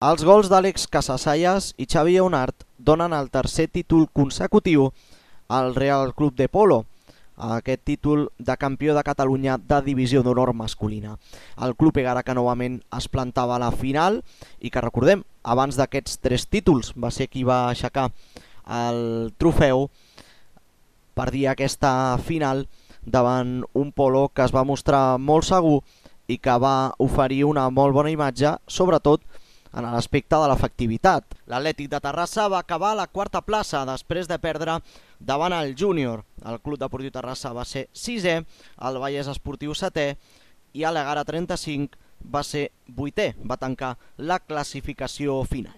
Els gols d'Àlex Casasallas i Xavi Lleonart donen el tercer títol consecutiu al Real Club de Polo, aquest títol de campió de Catalunya de divisió d'honor masculina. El club Egara que novament es plantava a la final i que recordem, abans d'aquests 3 títols va ser qui va aixecar el trofeu, perdia aquesta final davant un Polo que es va mostrar molt segur i que va oferir una molt bona imatge, sobretot en l'aspecte de l'efectivitat. L'Atlètic de Terrassa va acabar a la 4a plaça després de perdre davant el Júnior. El Club Deportiu Terrassa va ser 6è, el Vallès Esportiu 7è i l'Egara 35 va ser 8è, va tancar la classificació final.